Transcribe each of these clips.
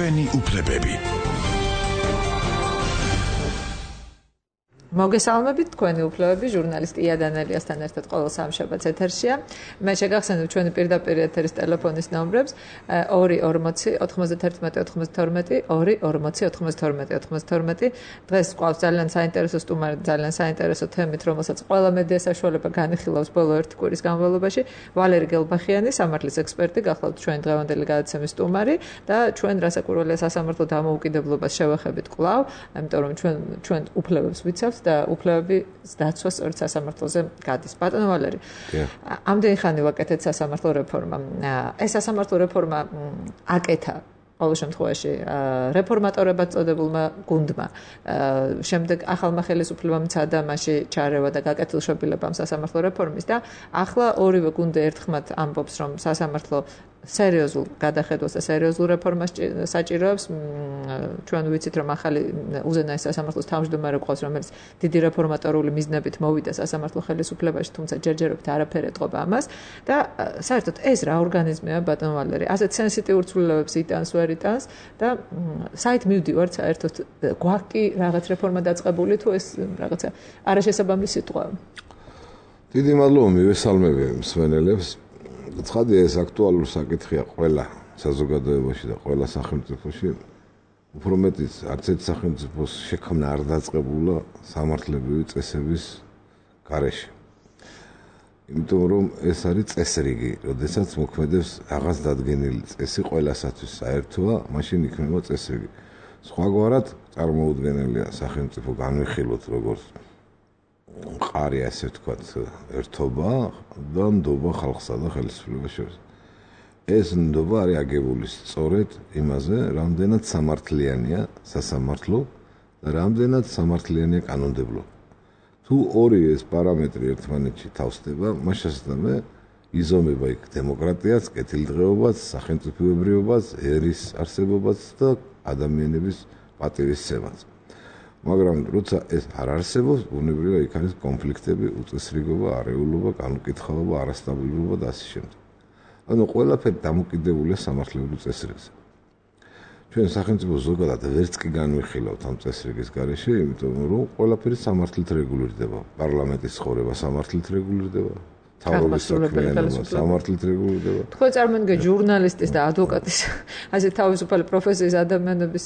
ჩვენი უფლებები. მოგესალმებით, თქვენი უფლებები, ჟურნალისტი იანელიასთან ერთად ყოველ სამშაბათს ეთერშია. მე შეგახსენებ ჩვენი პირდაპირ ეთერის ტელეფონის ნომრებს 240 91 92 240 92 92. დღეს გვყავს ძალიან საინტერესო სტუმარი, ძალიან საინტერესო თემით, რომელსაც ყველა მედია საშუალება განიხილავს ბოლო ერთი კვირის განმავლობაში. ვალერი გელბახიანი, სამართლის ექსპერტი, გახლავთ ჩვენი დღევანდელი გადაცემის სტუმარი და ჩვენ რასაკვირველია სასამართლო დამოუკიდებლობას შევეხებით კვლავ, იმიტომ რომ ჩვენ უფლებებს ვიცავთ და უფლებები დაცვა სწორედ სასამართლოზე გადის. ბატონო ვალერი, ამდენი ხანი ვაკეთეთ სასამართლო რეფორმამ. ეს სასამართლო რეფორმა აკეთა ყოველ შემთხვევაში რეფორმატორებად წოდებულმა გუნდმა. შემდეგ ახალმა ხელისუფლებამ მცადა მასში ჩარევა და გაკეთილშობილება სასამართლო რეფორმის და ახლა ორივე გუნდი ერთხმად ამბობს, რომ სასამართლო სერიოზულ გადახედვას და სერიოზულ რეფორმას საჭიროებს. ჩვენ ვიცით, რომ ახალი უზენაეს სასამართლოს თავმჯდომარე ყავს, რომელიც დიდი რეფორმატორული მიზნებით მოვიდა სასამართლო ხელისუფლებაში, თუმცა ჯერჯერობით არაფერი ეტყობა ამას და საერთოდ ეს რა ორგანიზმია, ბატონო ვალერი, ასეთ სენსიტიურ ცვლილებებს იტანს, ვერ იტანს და საით მივდივართ საერთოდ გვაქვს კი რაღაც რეფორმა დაწყებული თუ ეს რაღაცა არაშესაბამის სიტყვა. დიდი მადლობა მივესალმები მსმენელებს. ცხადია ეს აქტუალური საკითხია ყველა საზოგადოებაში და ყველა სახელმწიფოში. უფრო მეტიც არც ერთ სახელმწიფოს შექმნა არ დაწყებულა სამართლებრივი წესების გარეშე. იმიტომ რომ ეს არის წესრიგი, როდესაც მოქმედებს რაღაც დადგენილი წესი ყველასათვის საერთოა, მაშინ იქნება წესრიგი. სხვაგვარად წარმოუდგენელია სახელმწიფო განვიხილოთ როგორც მყარი, ასე ვთქვათ, ერთობა და ნდობა ხალხსა და ხელისუფლებას შორის. ეს ნდობა არის აგებული სწორედ იმაზე, რამდენად სამართლიანია სასამართლო და რამდენად სამართლიანია კანონმდებლობა. თუ ორი ეს პარამეტრი ერთმანეთში თავსდება, მაშასთანავე იზომება იქ დემოკრატიაც, კეთილდღეობაც, სახელმწიფოებრიობაც, ერის არსებობაც და ადამიანების პატივისცემაც. მაგრამ როცა ეს არ არსებობს, ბუნებრივია იქ არის კონფლიქტები, უწესრიგობა, არეულობა, განუკითხავობა, არასტაბილურობა და ასე შემდეგ. ანუ ყველაფერი დამოკიდებულია სამართლებრივ წესრიგზე. ჩვენ სახელმწიფო ზოგადად ვერც კი განვიხილავთ ამ წესრიგის გარეშე, იმიტომ რომ ყველაფერი სამართლით რეგულირდება. პარლამენტის ცხოვრება სამართლით რეგულირდება, მთავრობის საქმიანობა სამართლით რეგულირდება. თქვენ წარმოგიდგენთ ჟურნალისტის და ადვოკატის, ასე თავისუფალი პროფესიის ადამიანების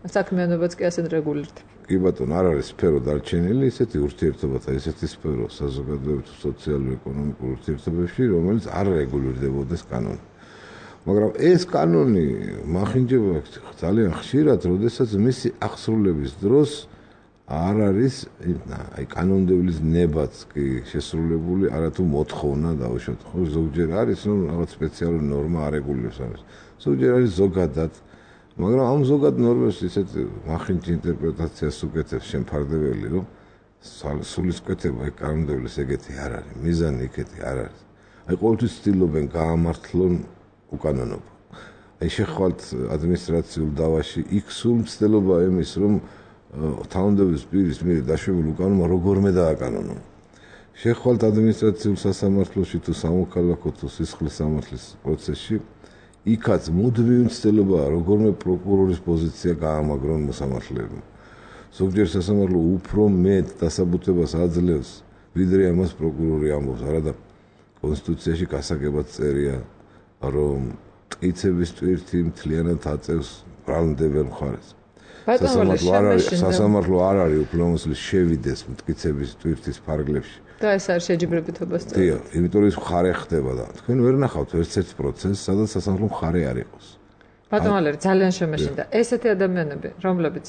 საქმიანობაც კი ასე რეგულირდება. კი ბატონო, არ არის სფერო დარჩენილი, ისეთი ურთიერთობა და ისეთი სფერო საზოგადოებრივ სოციალურ-ეკონომიკურ ურთიერთობებში, რომელიც არ რეგულირდებოდეს კანონით. მაგრამ ეს კანონი მახინჯება ძალიან ხშირად, როდესაც მისი აღსრულების დროს არ არის აი კანონმდევლის ნებაც კი შესრულებული, არათუ მოთხოვნა დაუშვათ. ხო, ზოგჯერ არის რომ რაღაც სპეციალური ნორმა არეგულირებს ამას. ზოგჯერ არის ზოგადად, მაგრამ ამ ზოგად ნორმებს ისეთ მახინჯი ინტერპრეტაციას უკეთებს შემფარდებელი, რომ სულისკვეთება აი კანონმდევლის ეგეთი არ არის, მიზანი იქეთი არ არის. აი ყოველთვის ცდილობენ გაამართლონ უკანონობა. აი შეხვალთ ადმინისტრაციულ დავაში, იქ სულ მცდელობა იმის, რომ თანამდებობის პირის მიერ დაშვებულ უკანონობა როგორმე დააკანონონ. შეხვალთ ადმინისტრაციულ სასამართლოში თუ სამოქალაქო თუ სისხლის სამართლის პროცესში, იქაც მუდმივი მცდელობაა როგორმე პროკურორის პოზიცია გაამაგრონ მოსამართლეებმა. ზოგჯერ სასამართლო უფრო მეტ დასაბუთებას აძლევს, ვიდრე ამას პროკურორი ამბობს. არადა კონსტიტუციაში გასაგებად წერია, რომ ტყიცების ტვირთი მთლიანად აწევს ბრალმდებელ მხარეს. სასამართლო არ არის უფლებამოსილი შევიდეს მტკიცების ტვირთის ფარგლებში. და ეს არის შეჯიბრებითობას წერა. დიახ, იმიტომ ის მხარე ხდება და თქვენ ვერ ნახავთ ერთ პროცესს, სადაც სასამართლო მხარე არ იყოს. ბატონო ვალერი, ძალიან შემეშინდა. ესეთი ადამიანები, რომლებიც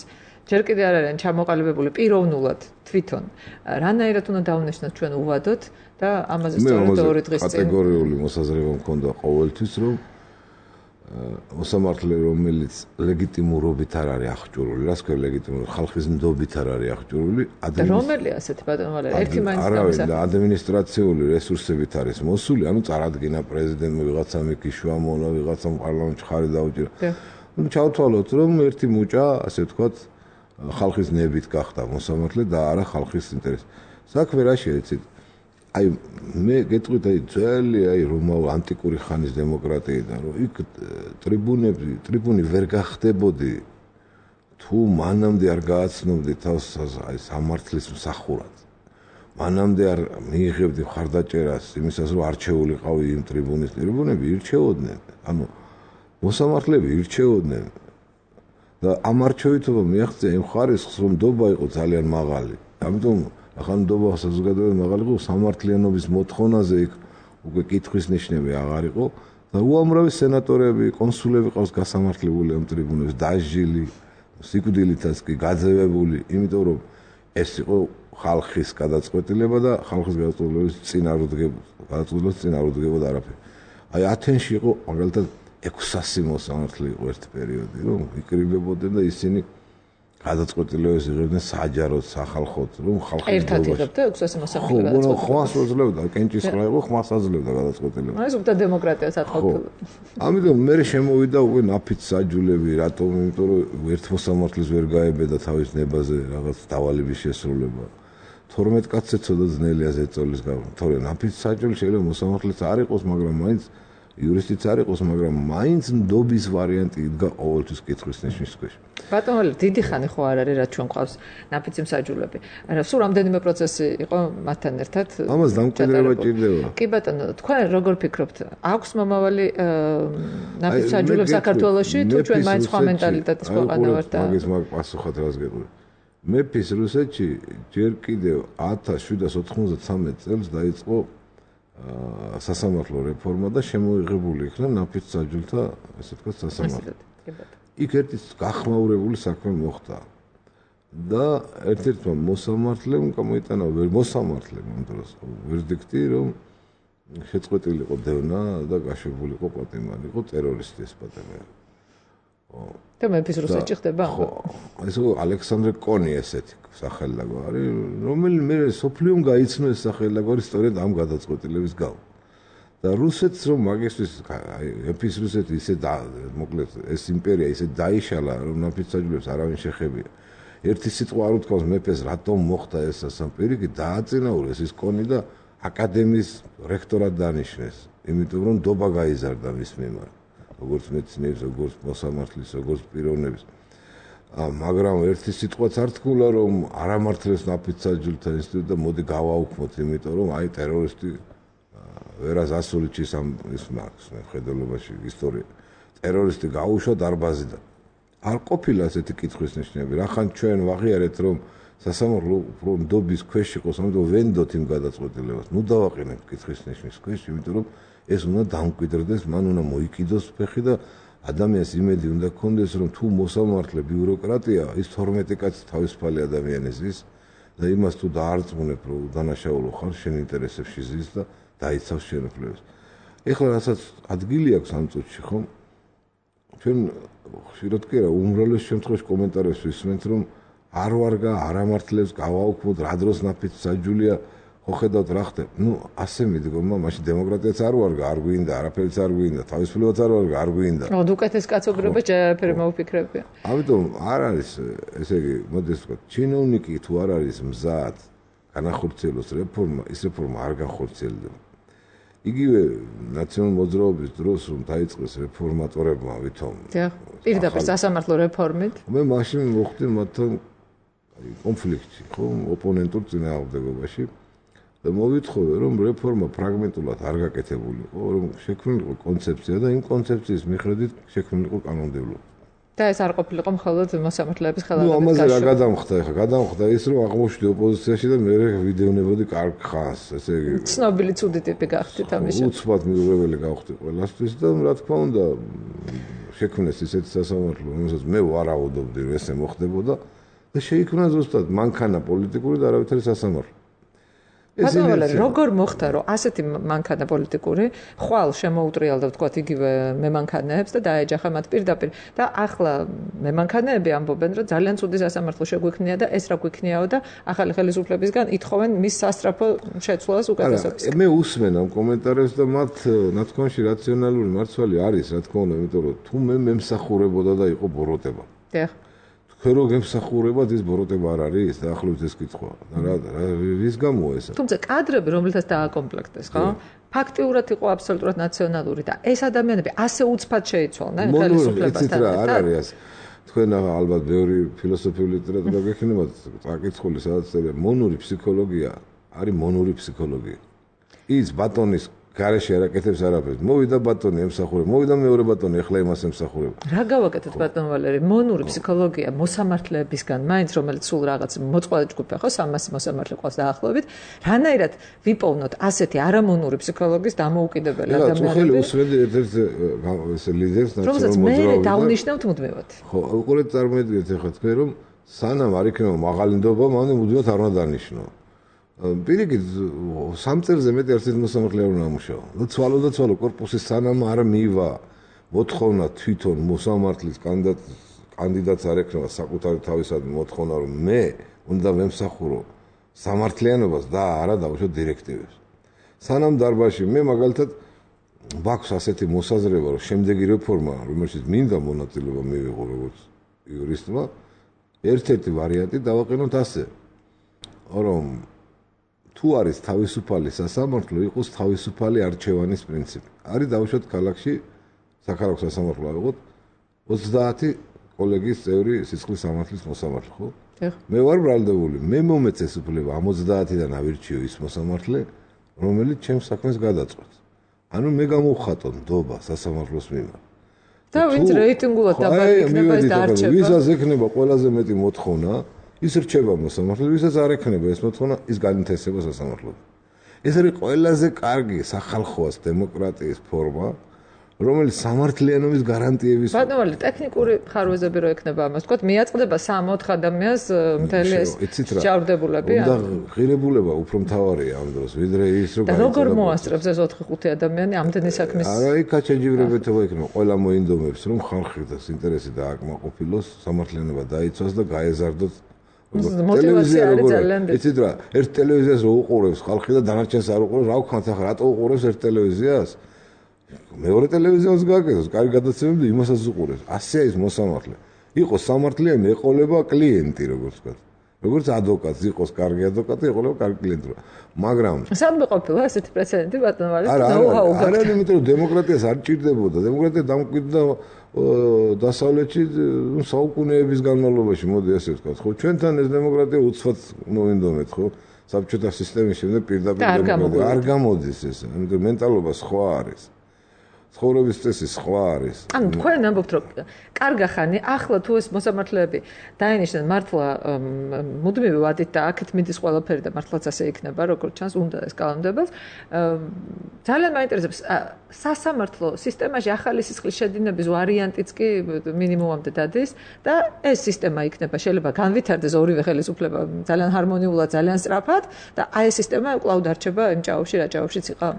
ჯერ კიდევ არ არიან ჩამოყალიბებული პიროვნულად თვითონ, რანაირად უნდა დავუნიშნოთ ჩვენ უვადოთ და ამაზე სწორედ ორი დღის წინ კატეგორიული მოსაზრება მქონდა ყოველთვის, რომ მოსამართლე, რომელიც ლეგიტიმურობით არ არის აღჭურვილი, რას ქვია ლეგიტიმური, ხალხის ნდობით არ არის აღჭურვილი, რომელია ასეთი ბატონო ვალერი, ერთი მაინც გამოსა. ადმინისტრაციული რესურსებით არის მოსული, ანუ წარადგინა პრეზიდენტმა ვიღაცა მიქიშვა, მონა ვიღაცამ პარლამენტში ხარი დაუჭირა. ანუ ჩავთვალოთ, რომ ერთი მუჭა, ასე ვთქვათ, ხალხის ნებით გახდა მოსამართლე და არა ხალხის ინტერესი. საქმე რა შეეცით? აი მე გეტყვით აი ძველი აი რომაულ ანტიკური ხანის დემოკრატიიდან რომ იქ ტრიბუნი ვერ გახდებოდი თუ მანამდე არ გააცნობდი თავს აი სამართლის მსახურად მანამდე არ მიიღებდი მხარდაჭერას იმისას რომ არჩეულიყავი იმ ტრიბუნები ირჩეოდნენ ანუ მოსამართლეები ირჩეოდნენ და ამ არჩევითობა მიაღწია იმ ხარისხს რომ ნდობა იყო ძალიან მაღალი ამიტომ ახლა ნდობა საზოგადოებრივ მაღალი იყო სამართლიანობის მოთხოვნაზე იქ უკვე კითხვის ნიშნები აღარ იყო და უამრავი სენატორები კონსულები ყავს გასამართლებული ამ ტრიბუნებს დაჟილი სიკვდილითაც კი გაძევებული იმიტომ რომ ეს იყო ხალხის გადაწყვეტილება და ხალხის გადაწყვეტილების წინ არ უდგებოდა არაფერი აი ათენში იყო მაგალითად 600 მოსამართლე იყო ერთ პერიოდი რომ იკრიბებოდნენ და ისინი გადაწყვეტილებას იღებდნენ საჯაროდ სახალხოდ რომ ხალხი ერთად იღებდა 600 მოსამართლე გადაწყვეტილებას ხმას უძლევდა კენჭისყრა იყო ხმას აძლევდა გადაწყვეტილებას ეს უკვე დემოკრატიას ატყობდა ამიტომ მე შემოვიდა უკვე ნაფიც საჯულები რატომ იმიტომ რომ ერთ მოსამართლეს ვერ გაებედა თავის ნებაზე რაღაც დავალების შესრულება 12 კაცზე ცოტა ძნელია ზეწოლის გამო თორე ნაფიც საჯული შეიძლება მოსამართლეც არ იყოს მაგრამ მაინც იურისტიც არ იყოს, მაგრამ მაინც ნდობის ვარიანტი იდგა ყოველთვის კითხვის ნიშნის ქვეშ. ბატონო, დიდი ხანი ხო არ არის, რაც ჩვენ ყავს ნაფიცი მსაჯულები. არა, სულ რამდენიმე პროცესი იყო მათთან ერთად. ამას დამკვიდრება ჭირდება. კი ბატონო, თქვენ როგორ ფიქრობთ? აქვს მომავალი ნაფიცი მსაჯულებს საქართველოში თუ ჩვენ მაინც სხვა მენტალიტეტის ქვეყანა ვართ და მაგის პასუხად რას გეტყვი? მეფის რუსეთში ჯერ კიდევ 1793 წელს დაიწყო სასამართლო რეფორმა და შემოიღებული იქნა ნაფიც საჯულთა ესე ვთქვათ სასამართლო. იქ ერთი გახმაურებული საქმე მოხდა და ერთ-ერთმა მოსამართლემ გამოიტანა მოსამართლემ ამ დროს ვერდიქტი რომ შეწყვეტილი იყო დევნა და გაშვებული იყო პატიმარი, იყო ტერორისტი ეს პატიმარი. და მეფის რუსეთში ხდება? ხო, ეს ალექსანდრე კონი ესეთი სახელდაგვარი, რომელიც მე სოფლიომ გაიცნო ეს სახელდაგვარი სწორედ ამ გადაწყვეტილების გამო. და რუსეთს რომ მაგისთვის აი მეფის რუსეთი ისე მოკლედ ეს იმპერია ისე დაიშალა რომ ნაფიც საჯულებს არავინ შეხებია. ერთი სიტყვა არ უთქვას მეფეს რატომ მოხდა ეს სასამპირიკი დააწინაურეს ის კონი და აკადემიის რექტორად დანიშნეს, იმიტომ რომ ნდობა გაიზარდა მის მიმართ. როგორც მეცნიერის, როგორც მოსამართლის, როგორც პიროვნების. მაგრამ ერთი სიტყვაც არ თქვა რომ არ ამართლეს ნაფიც საჯულთა ინსტიტუტი და მოდი გავაუქმოთ, იმიტომ რომ აი ტერორისტი ვერას ასულიჩის ამ ის მარკს მე ხედელობაში ისტორია. ტერორისტი გაუშვა დარბაზიდან. არ ყოფილა ასეთი კითხვის ნიშნები. რახან ჩვენ ვაღიარეთ რომ სასამართლო უფრო ნდობის ქვეშ იყოს, ამიტომ ვენდოთ იმ გადაწყვეტილებას. ნუ დავაყენებთ კითხვის ნიშნის ქვეშ, იმიტომ რომ ეს უნდა დამკვიდრდეს, მან უნდა მოიკიდოს ფეხი და ადამიანს იმედი უნდა გქონდეს, რომ თუ მოსამართლე ბიუროკრატია, ის 12 კაცი თავისუფალი ადამიანი ზის და იმას თუ დაარწმუნებ, რომ დანაშაულო ხარ, შენ ინტერესებში ზის და დაიცავს შენოფლებს. ეხლა რასაც ადგილი აქვს ამ წუთში, ხო? ჩვენ ხშირად კი არა, უმრავლეს შემთხვევაში კომენტარებს ვისმენთ, რომ არ ვარგა, არ ამართლებს, გავაუქმოთ, რა დროს ნაფიც საჯულია ხო ხედავთ რა ხდება. ნუ ასე მიდგომა, მაშინ დემოკრატიაც არ ვარგა, არ გვინდა, არაფერიც არ გვინდა, თავისუფლებაც არ ვარგა, არ გვინდა. ო, უკეთეს კაცობრიობა ჯერაფერი მოუფიქრებია. ამიტომ არ არის, ესე იგი, მოდი ვთქვა, ჩინოვნიკი თუ არ არის მზად განახორციელოს რეფორმა, ის რეფორმა არ განხორციელდება. იგივე ნაციონალური მოძრაობის დროს რომ დაიწყეს რეფორმატორებმა ვითომ. დიახ, პირდაპირ სასამართლო რეფორმით. მე მაშინ მოხდი მათთან კონფლიქტი, ხო, ოპონენტურ წინააღმდეგობაში. და მოვითხოვე რომ რეფორმა ფრაგმენტულად არ გაკეთებულიყო, რომ შექმნილიყო კონცეფცია და იმ კონცეფციის მიხედვით შექმნილიყო კანონმდებლობა. და ეს არ ყოფილიყო მხოლოდ მოსამართლეების ხელოვნების გაშუქება. ნუ ამაზე რა გადამხდა ახლა? გადამხდა ის რომ აღმოჩნდი ოპოზიციაში და მე ვიდევნებოდი კარგ ხანს, ესე იგი. ცნობილი ცუდი ტიპი გახდით ამაში. უცბად მიუღებელი გავხდი ყველასთვის და რა თქმა უნდა შექმნეს ისეთი სასამართლო, რომელსაც მე ვარაუდობდი რომ ესე მოხდებოდა და შეიქმნა ზუსტად მანქანა პოლიტიკური და არავითარი სასამართლო. ბატონო, როგორ მოხდა რომ ასეთი მანქანა პოლიტიკური ხვალ შემოუტრიალდა ვთქვათ იგივე მემანქანეებს და დაეჯახა მათ პირდაპირ და ახლა მემანქანეები ამბობენ რომ ძალიან ცუდი სასამართლო შეგვიქნია და ეს რა გვიქნიაო და ახალი ხელისუფლებისგან ითხოვენ მის სასტრაფო შეცვლას უკეთესობას. მე უსმენ ამ კომენტარებს და მათ ნათქვამში რაციონალური მარცვალი არის, რა თქმა უნდა, იმიტომ რომ თუ მე მემსახურებოდა და იყო ბოროტება. დიახ. თქვენ რო გემსახურებათ ის ბოროტება არ არის დაახლოებით ეს კითხვა რა რის გამოა ეს თუმცა კადრები რომელთაც დააკომპლექტეს ხო ფაქტიურად იყო აბსოლუტურად ნაციონალური და ეს ადამიანები ასე უცბად შეიცვალნენ ხელისუფლებასთან არ არის თქვენ ალბათ ბევრი ფილოსოფიური ლიტერატურა გექნებათ წაკითხული სადაც წერია მონური ფსიქოლოგია არის მონური ფსიქოლოგია ის ბატონის გარეშე არაკეთებს არაფერს. მოვიდა ბატონი ემსახურება. მოვიდა მეორე ბატონი, ახლა იმას ემსახურება. რა გავაკეთეთ ბატონ ვალერი? მონური ფსიქოლოგია მოსამართლეებისგან, მაინც რომელიც სულ რაღაც მოწყვალე ჯგუფია, ხო, 300 მოსამართლე ყავს დაახლოებით. რანაირად ვიპოვნოთ ასეთი არამონური ფსიქოლოგის დამოუკიდებელი ადამიანები? ხელი უსმენდი ერთ-ერთ ეს ლიდერს ნაციონალურ მოძრაობაში. რომ დავნიშნავთ მუდმივად. ხო, უყურეთ წარმოიდგინეთ ახლა თქვენ რომ სანამ არ იქნება მაღალი ნდობა, მანამდე მუდმივად არ უნდა დანიშნო. პირიქით, 3 წელზე მეტი არც მოსამართლე არ უნდა ამუშაო. და ცვალო კორპუსის სანამ არ მივა მოთხოვნა თვითონ მოსამართლის კანდიდატს არ ექნება საკუთარი თავისადმი მოთხოვნა, რომ მე უნდა ვემსახურო სამართლიანობას და არა დავუშვო დირექტივებს. სანამ დარბაზში მე მაგალითად მაქვს ასეთი მოსაზრება, რომ შემდეგი რეფორმა, რომელშიც მინდა მონაწილეობა მივიღო როგორც იურისტმა, ერთ-ერთი ვარიანტი დავაყენოთ ასე, რომ თუ არის თავისუფალი სასამართლო, იყოს თავისუფალი არჩევანის პრინციპი. არის დავუშვათ ქალაქში საქალაქო სასამართლო ავიღოთ 30 კოლეგიის წევრი სისხლის სამართლის მოსამართლე, ხო? მე ვარ ბრალდებული, მე მომეწეს უფლება ამ 30-დან ავირჩიო ის მოსამართლე, რომელიც ჩემს საქმეს გადაწყვეტს. ანუ მე გამოვხატო ნდობა სასამართლოს მიმართ. და ვინც რეიტინგულად დაბაიქნება ეს დაარჩება. ვისაც ექნება ყველაზე მეტი მოთხოვნა ის რჩება მოსამართლე, ვისაც არ ექნება ეს მოთხოვნა, ის განინთესება სასამართლოდ. ეს არის ყველაზე კარგი სახალხოას დემოკრატიის ფორმა, რომელიც სამართლიანობის გარანტიების ბატონო, ტექნიკური ხარვეზები რო ექნება ამას, თქვათ, მიაწყდება 3-4 ადამიანს მთელი ეს ჯავრდებულები. და ღირებულება უფრო მთავარია ამ დროს, ვიდრე ის რომ და როგორ მოასწრებს ეს 4-5 ადამიანი ამდენი საქმის არა იქ გაჩენჯიბრებეთობა იქნება, ყველა მოინდომებს რომ ხალხის ინტერესი დააკმაყოფილოს, სამართლიანობა დაიცვას და გაეზარდოს მოტივაცია არის ძალიან დიდი. იცით რა, ერთ ტელევიზიას რო უყურებს ხალხი და დანარჩენს არ უყურებს, რა ვქნათ ახლა, რატო უყურებს ერთ ტელევიზიას? მეორე ტელევიზიას გააკეთოს, კარგი გადაცემები და იმასაც უყურებს. ასეა ის მოსამართლე. იყოს სამართლიანი, ეყოლება კლიენტი, როგორც ვთქვათ. როგორც ადვოკატი, იყოს კარგი ადვოკატი, ეყოლება კარგი კლიენტი. მაგრამ სამდე ყოფილა ესეთი პრეცედენტი ბატონო ვალეს არა, იმიტომ რომ დემოკრატიას არ ჭირდებოდა. დემოკრატია დამკვიდრდა დასავლეთში საუკუნეების განმავლობაში, მოდი ასე ვთქვათ, ხო? ჩვენთან ეს დემოკრატია უცბად მოვინდომეთ, ხო? საბჭოთა სისტემის შემდეგ პირდაპირ დემოკრატია არ გამოდის ეს. ამიტომ მენტალობა სხვა არის. ცხოვრების წესი სხვა არის. ანუ თქვენ ამბობთ, რომ კარგა ხანი, ახლა თუ ეს მოსამართლეები დაინიშნენ მართლა მუდმივი ვადით და აქეთ მიდის ყველაფერი და მართლაც ასე იქნება, როგორც ჩანს, უნდა ეს კანონმდებლად. ძალიან მაინტერესებს სასამართლო სისტემაში ახალი სისხლის შედინების ვარიანტიც კი მინიმუმამდე დადის და ეს სისტემა იქნება, შეიძლება განვითარდეს ორივე ხელისუფლება ძალიან ჰარმონიულად, ძალიან სწრაფად და აი ეს სისტემა კვლავ დარჩება იმ ჭაობში, რა ჭაობშიც იყო.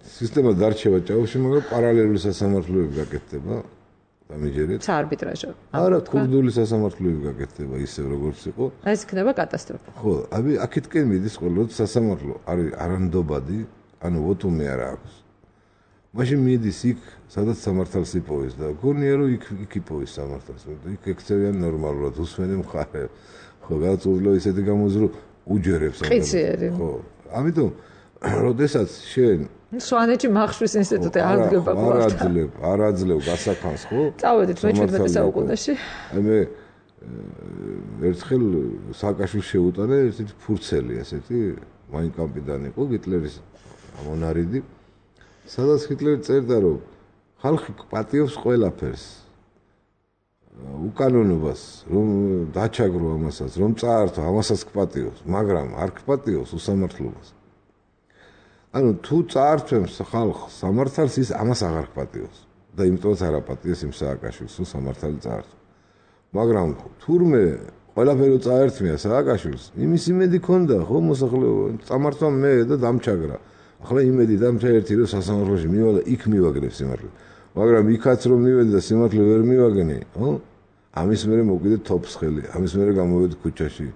სისტემა დარჩება ჭაობში, მაგრამ პარალელური სასამართლოები გაკეთდება. დამიჯერეთ. საარბიტრაჟო. არა, კურდული სასამართლოები გაკეთდება ისევ როგორც იყო. ეს იქნება კატასტროფა. ხო, აქეთკენ მიდის ყველა სასამართლო არის არანდობადი, ანუ ვოტუმი არა აქვს. მაშინ მიდის იქ, სადაც სამართალს იპოვის და გონია რომ იქ იპოვის სამართალს. იქ ექცევიან ნორმალურად, უსმენენ მხარე. ხო, გადაწყვეტილო ისეთი გამოძრო უჯერებს. ხო. ამიტომ როდესაც შენ სვანეთში მახშვის ინსტიტუტი აღდგება ყავს. არ აძლევ გასახანს, ხო? წავედით მე-17 საუკუნეში. მე ერთხელ სააკაშვილს შეუტანე ესეთი ფურცელი, ესეთი მაინკამპიდან იყო ჰიტლერის მონარიდი. სადაც ჰიტლერი წერდა, რომ ხალხი პატიობს ყველაფერს. უკანონობას, რომ დაჩაგრო ამასაც, რომ წაართო, ამასაც გპატიოს, მაგრამ არ გპატიოს უსამართლობას. ანუ თუ წაართვებს ხალხს სამართალს, ის ამას აღარ გპატიოს და იმიტომაც არ აპატიოს იმ სააკაშვილს, თუ სამართალი წაართვა. მაგრამ თურმე ყველაფერი წაერთმია სააკაშვილს, იმის იმედი ქონდა, ხო, მოსახლეობა, წამართვა მე და დამჩაგრა. ახლა იმედი დამჩა ერთი რომ სასამართლოში მივა და იქ მივაგნებს სიმართლე. მაგრამ იქაც რომ მივედი და სიმართლე ვერ მივაგნე, ხო? ამის მერე მოვიდე თოფს ხელი, ამის მერე გამოვედი ქუჩაში.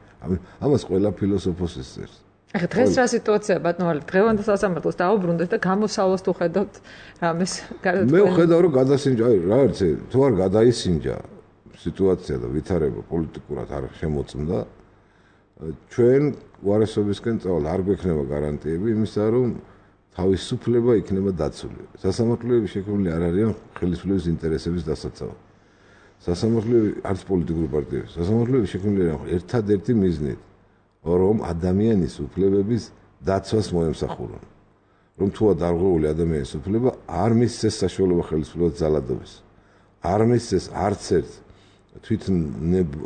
ამას ყველა ფილოსოფოსი წერს. ახლა დღეს რა სიტუაციაა ბატონო, დღევანდელ სასამართლოს დაუბრუნდეთ და გამოსავლას თუ ხედავთ რამეს გარდა მე ვხედავ რომ გადასინჯა, აი რა არის თუ არ გადაისინჯა სიტუაცია და ვითარება პოლიტიკურად არ შემოწმდა, ჩვენ უარესობისკენ წავალ არ გვექნება გარანტიები იმისა, რომ თავისუფლება იქნება დაცული. სასამართლოები შექმნილი არ არიან ხელისუფლების ინტერესების დასაცავად. სასამართლოები არც პოლიტიკური პარტიები, სასამართლოები შექმნილი არიან ერთადერთი მიზნით, რომ ადამიანის უფლებების დაცვას მოემსახურონ. რომ თუა დარღვეული ადამიანის უფლება არ მისცეს საშუალება ხელისუფლებას ძალადობის. არ მისცეს არც ერთ თვითონ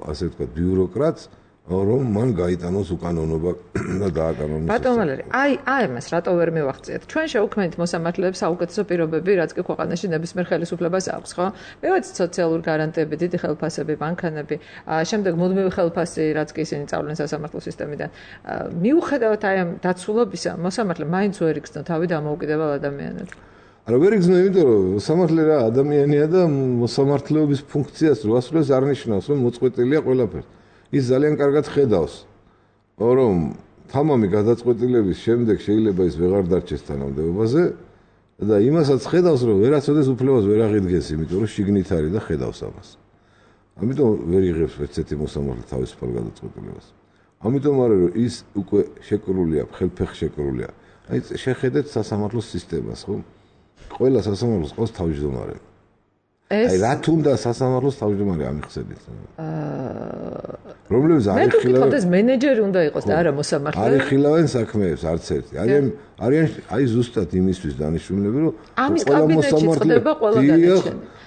ასე ვთქვათ ბიუროკრატს რომ მან გაიტანოს უკანონობა და დააკანონოს. ბატონ ვალერი, აი მას რატო ვერ მივახციეთ? ჩვენ შევქმნით მოსამართლეებს საუკეთესო პირობები, რაც კი ქვეყანაში ნებისმიერ ხელისუფლებას აქვს, ხო? მივეცით სოციალური გარანტიები, დიდი ხელფასები, მანქანები, შემდეგ მუდმივი ხელფასი, რაც კი ისინი წავლენ სასამართლო სისტემიდან. მიუხედავად აი ამ დაცულობისა, მოსამართლე მაინც ვერ იგრძნო თავი დამოუკიდებელ ადამიანად. არა ვერ იგრძნო, იმიტომ რომ მოსამართლე რა ადამიანია და მოსამართლეობის ფუნქციას რო ასრულებს არ ნიშნავს, რომ მოწყვეტილია ყველაფერი. ის ძალიან კარგად ხედავს, რომ თამამი გადაწყვეტილების შემდეგ შეიძლება ის ვეღარ დარჩეს თანამდებობაზე და იმასაც ხედავს, რომ ვერაცოდეს უფლებას ვერ აღიდგენს, იმიტომ რომ შიგნით არის და ხედავს ამას. ამიტომ ვერ იღებს ერთ-ერთი მოსამართლე თავისუფალ გადაწყვეტილებას. ამიტომ არის რომ ის უკვე შეკრულია, ხელფეხი შეკრულია. აი შეხედეთ სასამართლოს სისტემას, ხო? ყველა სასამართლოს ყავს თავმჯდომარე. აი რა თუნდა სასამართლოს თავმჯდომარე ამიხსენით. რომლებიც არ იხილავენ. მე მენეჯერი უნდა იყოს და არა მოსამართლე. არ იხილავენ საქმეებს არც ერთი. არიან აი ზუსტად იმისთვის დანიშნულები, რომ ყველა მოსამართლე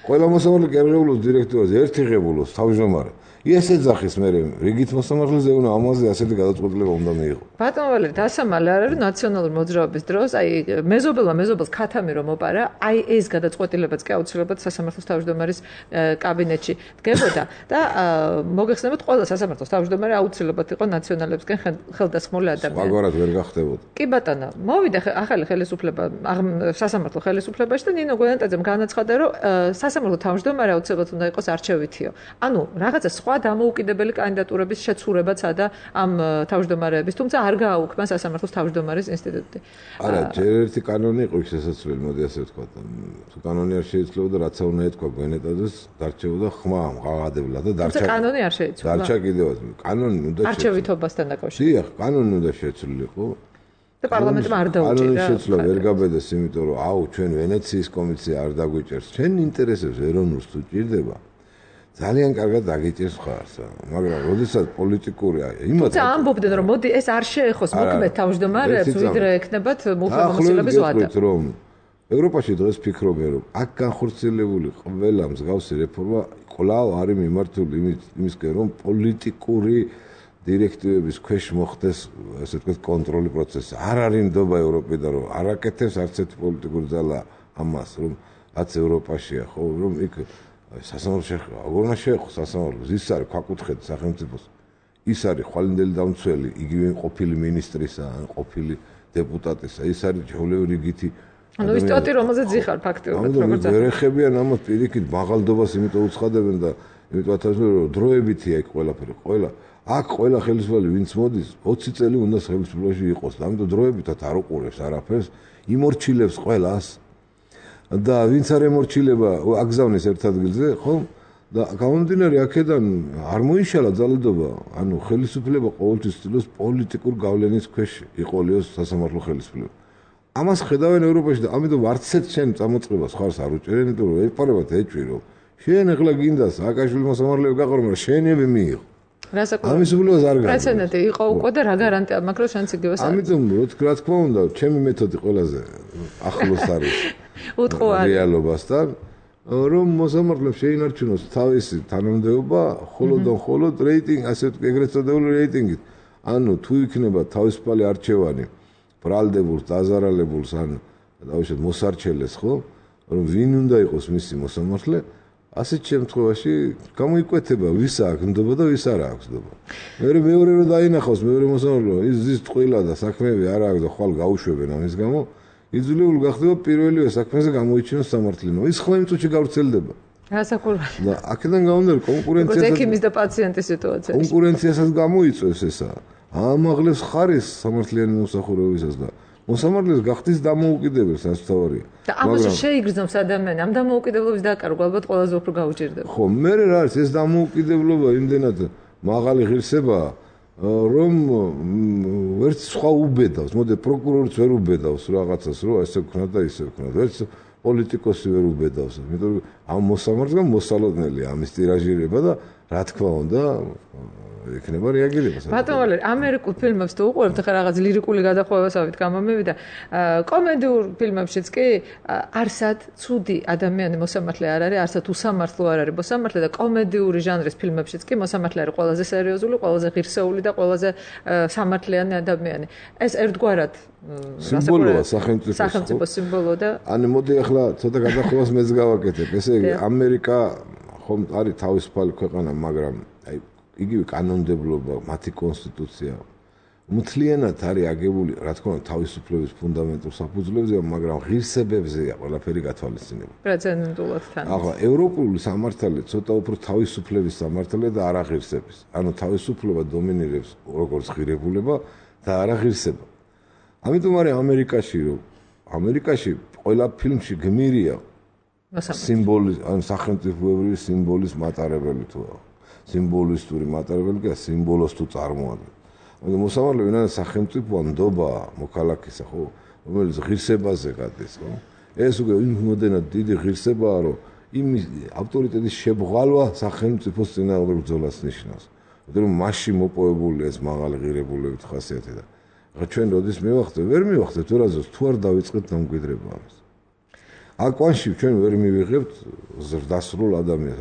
ყველა მოსამართლე კერღებულოს დირექტორს ერთი ღებულოს თავმჯდომარე. ეს ეძახის მე რიგით მოსამართლეზე უნდა ამაზე ასეთი გადაწყვეტილება უნდა მიიღო. ბატონ ვალერი, დასამალე არ არის ნაციონალური მოძრაობის დროს, აი მეზობელს ქათამი რომ მოპარა, აი ეს გადაწყვეტილებაც კი აუცილებლად სასამართლოს თავმჯდომარის კაბინეტში დგებოდა და მოგეხსენებათ ყველა სასამართლოს თავმჯდომარე აუცილებლად იყო ნაციონალებსგან ხელდასხმული ადამიანი. სხვაგვარად ვერ გახდებოდა. კი ბატონო, მოვიდა ახალი ხელისუფლება სასამართლო ხელისუფლებაში და ნინო გვიანტაძემ განაცხადა, რომ სასამართლო თავმჯდომარე აუცილებლად უნდა იყოს არჩევითიო. ანუ რაღაცა სხვა დამოუკიდებელი კანდიდატურების შეცურებაცა და ამ თავმჯდომარეების, თუმცა არ გააუქმა სასამართლოს თავმჯდომარის ინსტიტუტი. არა, ჯერ ერთი კანონი იყო შესაძლებელი, მოდი ასე ვთქვათ. თუ კანონი არ შეიცვლებოდა, რაცა უნდა ეთქვა გვენეტაძეს, დარჩებოდა ხმა მღაღადებლად და დარჩა. კანონი არ შეიცვლა. დარჩა კიდევაც. კანონი უნდა შეიცვლა. არჩევითობასთან დაკავშირებით. დიახ, კანონი უნდა შეცვლილიყო. და პარლამენტმა არ დაუჭირა. კანონი შეცვლა ვერ გაბედეს, იმიტომ რომ აუ ჩვენ ვენეციის კომისია არ დაგვიჭერს. ჩვენ ინტერესებს ეროვნულს თუ ჭირდება. ძალიან კარგად დაგიჭირს ხარს, მაგრამ როდესაც პოლიტიკურია, იმათი ამბობდნენ რომ მოდი ეს არ შეეხოს მოქმედ თავმჯდომარებს, ვიდრე ეკნებათ მუხლმოსილების ვადა. რომ ევროპაში დღეს ფიქრობენ რომ აქ განხორციელებული ყველა მსგავსი რეფორმა კვლავ არის მიმართული იმისკენ რომ პოლიტიკური დირექტივების ქვეშ მოხდეს ასე ვთქვათ კონტროლი პროცესი. არ არის ნდობა ევროპიდან რომ არ აკეთებს არც ერთი პოლიტიკური ძალა ამას რომ რაც ევროპაშია, ხო, რომ იქ სასამართლო შეხება, როგორ უნდა შეეხოს სასამართლოს, ის არის ქვაკუთხედი სახელმწიფოს, ის არის ხვალინდელი დამცველი, იგივე ყოფილი მინისტრისა, ყოფილი დეპუტატისა, ის არის ჩვეულებრივი რიგითი. ანუ ის ტოტი რომელზეც იხარ ფაქტიურად, როგორც ვერ ეხებიან ამათ პირიქით მაღალდობას, იმიტომ უცხადებენ და იმიტომ ათასმე რომ დროებითია იქ ყველაფერი, ყველა აქ ყველა ხელისუფლება ვინც მოდის 20 წელი უნდა ხელისუფლებაში იყოს და ამიტომ დროებითად არ უყურებს არაფერს, იმორჩილებს ყველას. და ვინც არ ემორჩილება აგზავნის ერთ ადგილზე, ხო? და გამომდინარე აქედან არ მოიშალა ძალადობა, ანუ ხელისუფლება ყოველთვის ცდილობს პოლიტიკურ გავლენის ქვეშ იყოლიოს სასამართლო ხელისუფლება. ამას ხედავენ ევროპაში და ამიტომ არც ერთ შენ წამოწყებას ხარს არ უჭერენ, იმიტომ რომ ეპარებათ ეჭვი რომ შენ ახლა გინდა სააკაშვილი მოსამართლეები გაყო, მაგრამ შენები მიიღო. ამის უფლებას არ გაქვს. პრეცედენტი იყო უკვე და რა გარანტია მაქვს რომ შენც იგივე საქმე. ამიტომ რა თქმა უნდა, ჩემი მეთოდი ყველაზე ახლოს არის. უტყუარი რეალობასთან რომ მოსამართლეებს შეინარჩუნოს თავისი თანამდებობა მხოლოდ და მხოლოდ რეიტინგ, ასე ვთქვი, ეგრეთ წოდებული რეიტინგით. ანუ თუ იქნება თავისუფალი არჩევანი ბრალდებულს, დაზარალებულს ან დავუშვათ მოსარჩელეს, ხო? რომ ვინ უნდა იყოს მისი მოსამართლე, ასეთ შემთხვევაში გამოიკვეთება ვის აქვს ნდობა და ვის არ აქვს ნდობა. მეორე რომ დაინახავს მეორე მოსამართლე, ის ტყუილა და საქმეები არ აქვს და ხვალ გაუშვებენ ამის გამო. იძულებული გახდება პირველივე საქმეზე გამოიჩინოს სამართლინო. ის ხმა იმ წუთში გავრცელდება. გასაკურველი. და აქედან გამომდინარე კონკურენციასაც ექიმის და პაციენტის სიტუაციაში. კონკურენციასაც გამოიწვევს ესა. ამაღლებს ხარისხს სამართლიანი მომსახურებისას და მოსამართლეს გახდის დამოუკიდებელ სასწაულია. და ამაზე შეიგრძნობს ადამიანი, ამ დამოუკიდებლობის დაკარგვა ალბათ ყველაზე უფრო გაუჭირდება. ხო, მე რა არის ეს დამოუკიდებლობა იმდენად მაღალი ღირსებაა, რომ ვერც სხვა უბედავს, მოდი პროკურორიც ვერ უბედავს რაღაცას, რომ ესე ვქნა და ისე ვქნა. ვერც პოლიტიკოსი ვერ უბედავს, იმიტომ რომ ამ მოსამართლემ მოსალოდნელია ამის ტირაჟირება და რა თქმა უნდა იქნება რეაგირება. ბატონო ვალერი, ამერიკულ ფილმებს თუ უყურებთ, ხა რაღაც ლირიკული გადახვევასავით გამომივიდა, კომედიურ ფილმებშიც კი არსად ცუდი ადამიანი მოსამართლე არ არის, არსად უსამართლო არ არის მოსამართლე და კომედიური ჟანრის ფილმებშიც კი მოსამართლე არის ყველაზე სერიოზული, ყველაზე ღირსეული და ყველაზე სამართლიანი ადამიანი. ეს ერთგვარად სიმბოლოა სახელმწიფოს სიმბოლო და ანუ მოდი ახლა ცოტა გადახვევას მეც გავაკეთებ. ესე იგი ამერიკა ხომ არის თავისუფალი ქვეყანა, მაგრამ აი იგივე კანონმდებლობა, მათი კონსტიტუცია მთლიანად არის აგებული, რა თქმა უნდა, თავისუფლების ფუნდამენტურ საფუძვლებზე, მაგრამ ღირსებებზეა ყველაფერი გათვალისწინებული. პრეცედენტულად თან. ახლა ევროპული სამართალი ცოტა უფრო თავისუფლების სამართალია და არა ღირსების. ანუ თავისუფლება დომინირებს როგორც ღირებულება და არა ღირსება. ამიტომ არის ამერიკაში ყველა ფილმში გმირია სიმბოლის, ან სახელმწიფოებრივი სიმბოლის მატარებელი თუა. სიმბოლისტური მატარებელი და სიმბოლოს თუ წარმოადგენს. ანუ მოსამართლე ვინაიდან სახელმწიფოა, ნდობაა, მოქალაქისა, ხო, რომელიც ღირსებაზე გადის, ხო? ეს უკვე იმდენად დიდი ღირსებაა, რომ იმის ავტორიტეტის შებრალვა სახელმწიფოს წინააღმდეგ ბრძოლას ნიშნავს. იმიტომ რომ მასში მოპოვებული ეს მაღალი ღირებულებით ხასიათი და ახლა ჩვენ როდის ვერ მივახცევთ ვერაზოს თუ არ დავიწყეთ დამკვიდრება ამის. აკვანში ჩვენ ვერ მივიღებთ ზრდასრულ ადამიანს.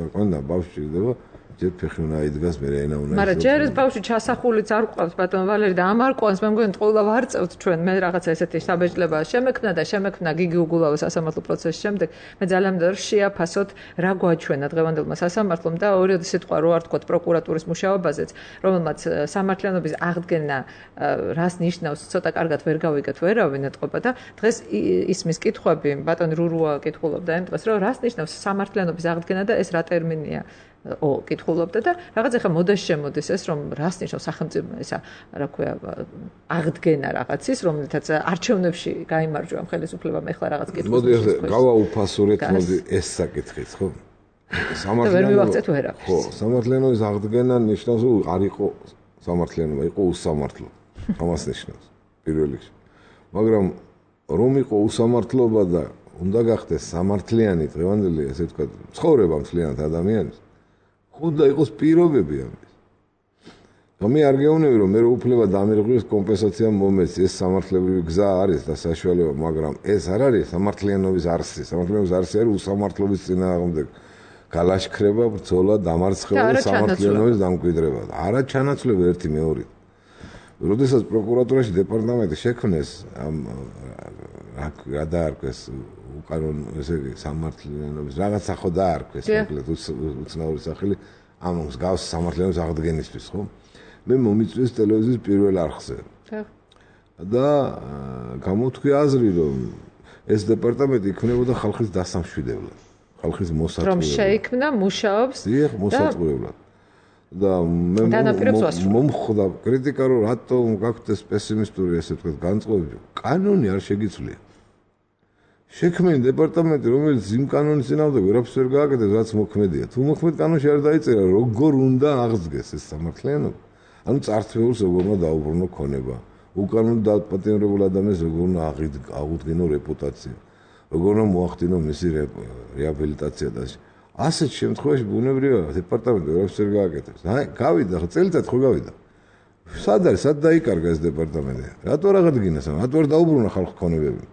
აკვანდა ბავშვი ჭირდება ჯერ ფეხი უნდა იდგას, მე ენა უნდა. მაგრამ ჯერ ეს ბავშვი ჩასახულიც არ ყავს ბატონ ვალერი და ამ არ ყავს, მე მგონი ყველა ვარწევთ ჩვენ, მე რაღაცა ესეთი საბეჭდება შემექმნა გიგი უგულავას სასამართლო პროცესის შემდეგ, მე ძალიან მინდა რომ შეაფასოთ რა გვაჩვენა დღევანდელმა სასამართლომ და ორი სიტყვა რო არ თქვა პროკურატურის მუშაობაზეც, რომელმაც სამართლიანობის აღდგენა რას ნიშნავს, ცოტა კარგად ვერ გავიგეთ ვერავინ ეტყობა და დღეს ისმის კითხვები ბატონ რურუა კითხულობდა იმ დღეს, რომ რას ნიშნავს სამართლიანობის აღდგენა და ეს რა ტერმინია. კითხულობდა და რაღაც ახლა მოდაში შემოდის ეს რომ რას ნიშნავს სახელმწიფო ისა რა ქვია აღდგენა რაღაცის რომელთაც არჩევნებში გაიმარჯვა ხელისუფლებამ ახლა რაღაც კითხვის მოდი გავაუფასურეთ მოდი ეს საკითხიც ხო სამართლიანობის აღდგენა ნიშნავს რომ არ იყო სამართლიანობა იყო უსამართლო ამას ნიშნავს პირველ რიგში მაგრამ რომ იყო უსამართლობა და უნდა გახდეს სამართლიანი დღევანდელი ესე ვთქვა ცხოვრება მთლიანად ადამიანის უნდა იყოს პირობები ამის. მე არ გეუბნები რომ მე უფლება დამირღვიოს კომპენსაცია მომეცი ეს სამართლებრივი გზა არის და საშუალება, მაგრამ ეს არ არის სამართლიანობის არსი. სამართლიანობის არსი არის უსამართლობის წინააღმდეგ გალაშქრება, ბრძოლა, დამარცხება და სამართლიანობის დამკვიდრება. არა ჩანაცვლება ერთი მეორე. როდესაც პროკურატურაში დეპარტამენტი შექმნეს რა დაარქვეს უკანონო ესე იგი სამართლიანობის რაღაცა ხო დაარქვეს მოკლედ უცნაური სახელი ამ მსგავს სამართლიანობის აღდგენისთვის ხო მე მომიწვიეს ტელევიზიის პირველ არხზე და გამოთქვი აზრი რომ ეს დეპარტამენტი იქნებოდა ხალხის დასამშვიდებლად ხალხის მოსაწყვეტად რომ შეიქმნა მუშაობს დიახ მოსაწყვეტად და მე მომხვდა კრიტიკა რომ რატომ გაქვთ ეს პესიმისტური ესე ვთქვათ განწყობები კანონი არ შეგიცვლია შექმნილი დეპარტამენტი რომელიც იმ კანონის წინააღმდეგ ვერაფერს ვერ გააკეთებს რაც მოქმედია თუ მოქმედ კანონში არ დაიწერა როგორ უნდა აღდგეს ეს სამართლიანობა ანუ წარსულს როგორ უნდა დაუბრუნო ქონება უკანონო დაპატიმრებულ ადამიანს როგორ უნდა აღუდგინო რეპუტაცია როგორ უნდა მოახდინო მისი რეაბილიტაცია და ასეთ შემთხვევაში ბუნებრივია დეპარტამენტი ვერაფერს ვერ გააკეთებს გავიდა წელიწად ხო გავიდა სად არის სად დაიკარგა ეს დეპარტამენტი რატო არ აღადგინეს რატო არ დაუბრუნა ხალხის ქონებები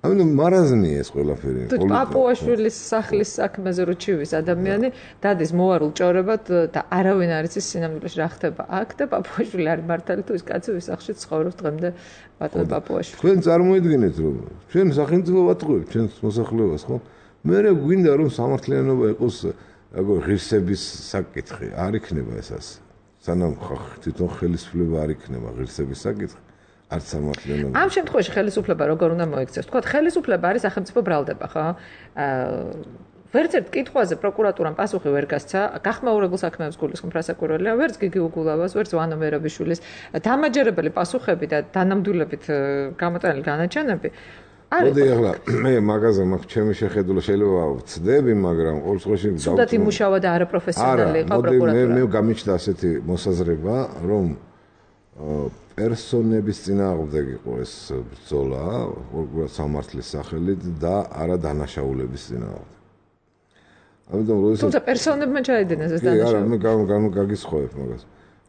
ამიტომ მარაზმი ეს ყველაფერი პაპუაშვილის სახლის საქმეზე რო ჩივის ადამიანი დადის მოარულ ჭორებად და არავინ არ იცის სინამდვილეში რა ხდება აქ და პაპუაშვილი არის მართალი თუ ის კაცი ვის სახლში ცხოვრობს დღემდე ბატონ პაპუაშვილი თქვენ წარმოიდგინეთ რომ ჩვენ სახელმწიფო ვატყუებთ ჩვენს მოსახლეობას ხო მე გვინდა რომ სამართლიანობა იყოს როგორ ღირსების საკითხი არ იქნება ეს ასე სანამ თვითონ ხელისუფლება არ იქნება ღირსების საკითხი არც სამართლიანობა ამ შემთხვევაში ხელისუფლება როგორ უნდა მოიქცეს თქვა ხელისუფლება არის სახელმწიფო ბრალდება ხო ვერცერთ კითხვაზე პროკურატურამ პასუხი ვერ გასცა, გახმაურებულ საქმეებს გულისხმობ რასაკურველია, ვერც გიგი უგულავას, ვერც ვანო მერაბიშვილის დამაჯერებელი პასუხები და დანამდვილებით გამოყენებული განაჩენები მოდი ახლა მე მაგაზე მაქვს ჩემი შეხედულა შეიძლება ვწდები, მაგრამ ყოველ შემთხვევაში სულად იმუშავა და არაპროფესიონალი იყო პროკურატურა. მე გამიჩნდა ასეთი მოსაზრება, რომ პერსონების წინააღმდეგ იყო ეს ბრძოლა, სამართლის სახელით და არა დანაშაულების წინააღმდეგ. ამიტომ თუმცა პერსონებმა ჩაიდინეს ეს დანაშაული. არა, მე გაგისხოვებ მაგას.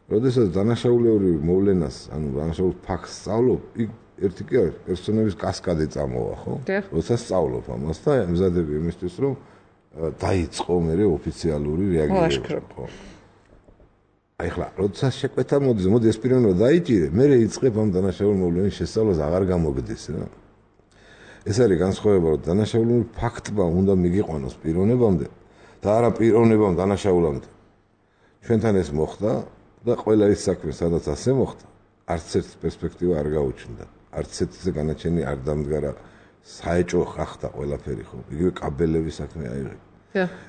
როდესაც დანაშაულური მოვლენას, ანუ დანაშაულ ფაქტს სწავლობ, იქ ერთი კი არის, პერსონების კასკადი წამოვა, ხო? როდესაც სწავლობ ამას და ემზადები იმისთვის, რომ დაიწყო მერე ოფიციალური რეაგირება, ხო? აი ხლა, როდესაც შეკვეთა მოდი ეს პიროვნება დაიჭირე, მე იწყებ ამ დანაშაული მოვლენის შესწავლას აღარ გამოგდის რა. ეს არის განსხვავება, რომ დანაშაულური ფაქტმა უნდა მიგიყვანოს პიროვნებამდე და არა პიროვნებამ დანაშაულამდე. ჩვენთან ეს მოხდა და ყველა ის საქმე, სადაც ასე მოხდა, არც ერთ პერსპექტივა არ გაუჩნდა. არც ერთზე განაჩენი არ დამდგარა, საეჭვო ხახდა ყველაფერი ხო. იგივე კაბელების საქმე აიღე.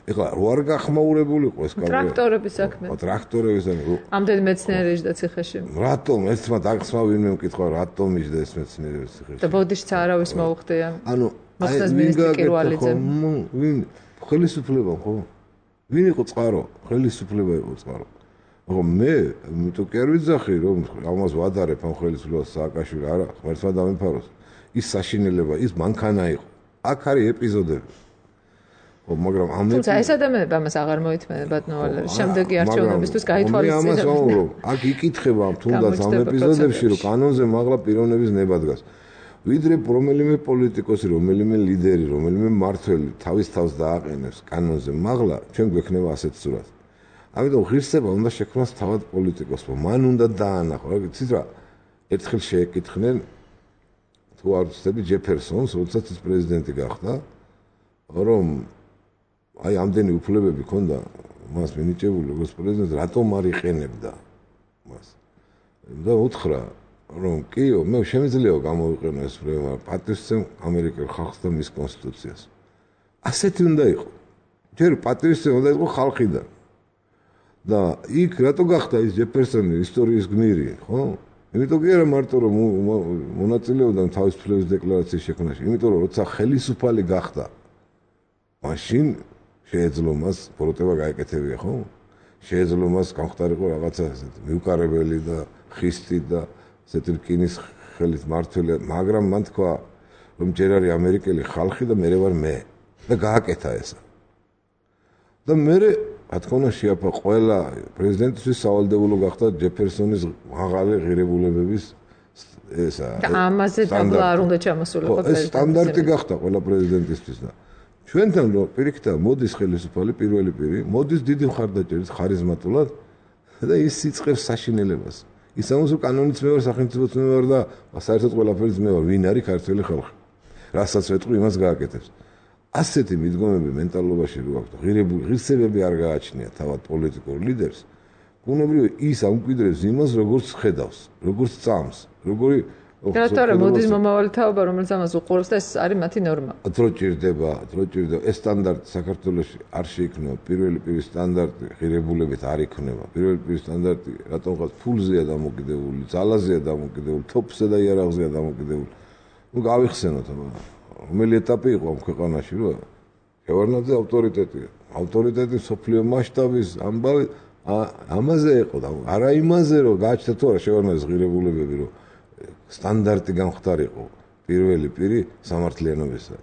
ეხლა რო არ გახმაურებულიყო ეს კაბელი. ტრაქტორების საქმე. ტრაქტორების საქმე. ამდენი მეცნიერი იჯდა ციხეში. რატომ ერთმა დაგხსნა ვინმე მკითხა რატომ იჯდა ეს მეცნიერი ციხეში? და ბოდიშიც არავის მოუხდია. ანუ მოხდას მინისტრი კირვალიძე. ვინ ხელისუფლება ხო? ვინ იყო წყარო? ხელისუფლება იყო წყარო. მაგრამ მე იმიტომ კი არ ვიძახი რომ ამას ვადარებ ამ ხელისუფლებას სააკაშვილი არა ღმერთმა დამიფაროს ის საშინელება ის მანქანა იყო აქ არის ეპიზოდები მაგრამ ამ თუმცა ეს ადამიანები ამას აღარ მოითმენენ ბატონო შემდეგი არჩევნებისთვის გაითვალისწინებენ ამას ვამბობ აქ იკითხება თუნდაც ამ ეპიზოდებში რომ კანონზე მაღლა პიროვნების ნება დგას ვიდრე რომელიმე პოლიტიკოსი რომელიმე ლიდერი რომელიმე მმართველი თავის თავს დააყენებს კანონზე მაღლა ჩვენ გვექნება ასეთ სურათი ამიტომ ღირსება უნდა შექმნას თავად პოლიტიკოსმა. მან უნდა დაანახო. იცით რა? ერთხელ შეეკითხნენ თუ არ ვცდები ჯეფერსონს, როდესაც ის პრეზიდენტი გახდა, რომ აი ამდენი უფლებები ჰქონდა მას მინიჭებული როგორც პრეზიდენტს, რატომ არ იყენებდა მას? და უთხრა, რომ კიო, მე შემიძლია გამოვიყენო ეს პრეზიდენტი, პატრიოტიზმ ამერიკელ ხალხს და მის კონსტიტუციას. ასეთი უნდა იყო. ჯერ პატრიოტიზმი უნდა იყო ხალხიდან. და იქ რატო გახდა ის ჯეფერსონი ისტორიის გმირი, ხო? იმიტომ კი არა მარტო რომ მონაწილეობდა თავისუფლების დეკლარაციის შექმნაში, იმიტომ რომ როცა ხელისუფალი გახდა, მაშინ შეეძლო მას პროტება გაეკეთებია, ხო? შეეძლო მას გამختارიყო რაღაცა ესეთი მიუყარებელი და ხისტი და ესეთი რკინის ხელით მართველი, მაგრამ მან თქვა რომ ჯერ არის ამერიკელი ხალხი და მე ვარ მე და გააკეთა ესა. და მე რა თქმა უნდა შეაფა ყველა პრეზიდენტის სავალდებულო გახდა ჯეფერსონის მაღალი ღირებულებების ესა და ამაზე დაბლა არ უნდა ჩამოსულიყო ეს სტანდარტი გახდა ყველა პრეზიდენტისთვის და ჩვენთან რო პირიქით მოდის ხელისუფალი პირველი პირი მოდის დიდი მხარდაჭერით ხარიზმატულად და ის იწყებს საშინელებას ის ამას რომ კანონიც მე ვარ სახელმწიფოც მე ვარ და საერთოდ ყველაფერიც მე ვარ ვინ არის ქართველი ხალხი რასაც ვეტყვი იმას გააკეთებს ასეთი მიდგომები მენტალობაში რო აქვს ღირსებები არ გააჩნია თავად პოლიტიკურ ლიდერს ბუნებრივია ის ამკვიდრებს იმას როგორც ხედავს როგორც წამს როგორი რატომ მოდის მომავალი თაობა რომელიც ამას უყურებს და ეს არის მათი ნორმა დრო ჭირდება ეს სტანდარტი საქართველოში არ შეიქმნება პირველი პირის სტანდარტი ღირებულებით არ იქნება პირველი პირის სტანდარტი რატომღაც ფულზეა დამოკიდებული ძალაზეა დამოკიდებული თოფსა და იარაღზეა დამოკიდებული ნუ გავიხსენოთ აბა რომელი ეტაპი იყო ამ ქვეყანაში რა შევარდნაძე ავტორიტეტი სოფლიო მასშტაბის ამბავი ამაზე იყო და არა იმაზე რომ გააჩნდა თუ არა შევარდნაძის ღირებულებები რომ სტანდარტი გამختارიყო პირველი პირი სამართლიანობისა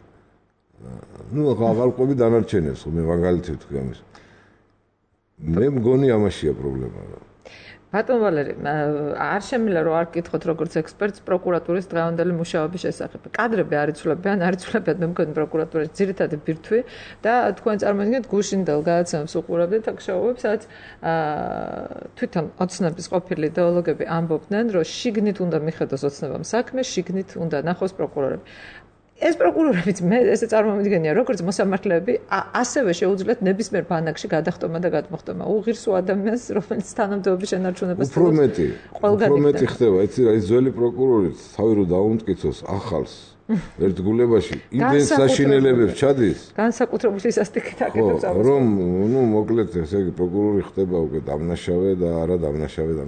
ნუ აღარ ყვები დანარჩენებს მე მაგალითად ვთქვი ამის მე მგონი ამაშია პრობლემა რა ბატონ ვალერი არ შემიძლია რომ არ გკითხოთ როგორც ექსპერტს პროკურატურის დღევანდელი მუშაობის შესახებ. კადრები არ იცვლებიან, არ იცვლებიან მე მგონი პროკურატურის ძირითადი ბირთვი და თქვენ წარმოიდგინეთ გუშინდელ გადაცემას უყურებდით აქ-შოუებს, სადაც თვითონ ოცნების ყოფილი იდეოლოგები ამბობდნენ, რომ შიგნით უნდა მიხედოს ოცნებამ საქმე, შიგნით უნდა ნახოს პროკურორები. ეს პროკურორებიც მე ესე წარმომიდგენია, როგორც მოსამართლეები, ასევე შეუძლიათ ნებისმიერ ბანაკში გადახტომა და გადმოხტომა. უღირსო ადამიანს, რომელიც თანამდებობის შენარჩუნებას უფრო მეტი ხდება, იცი რა, ის ძველი პროკურორიც თავი რო დაუმტკიცოს ახალს ერთგულებაში იმდენ საშინელებებს ჩადის. განსაკუთრებული სასტიკით აკეთებს ამას. რომ, მოკლედ ესე იგი პროკურორი ხდება უკვე დამნაშავე და არა დამნაშავე და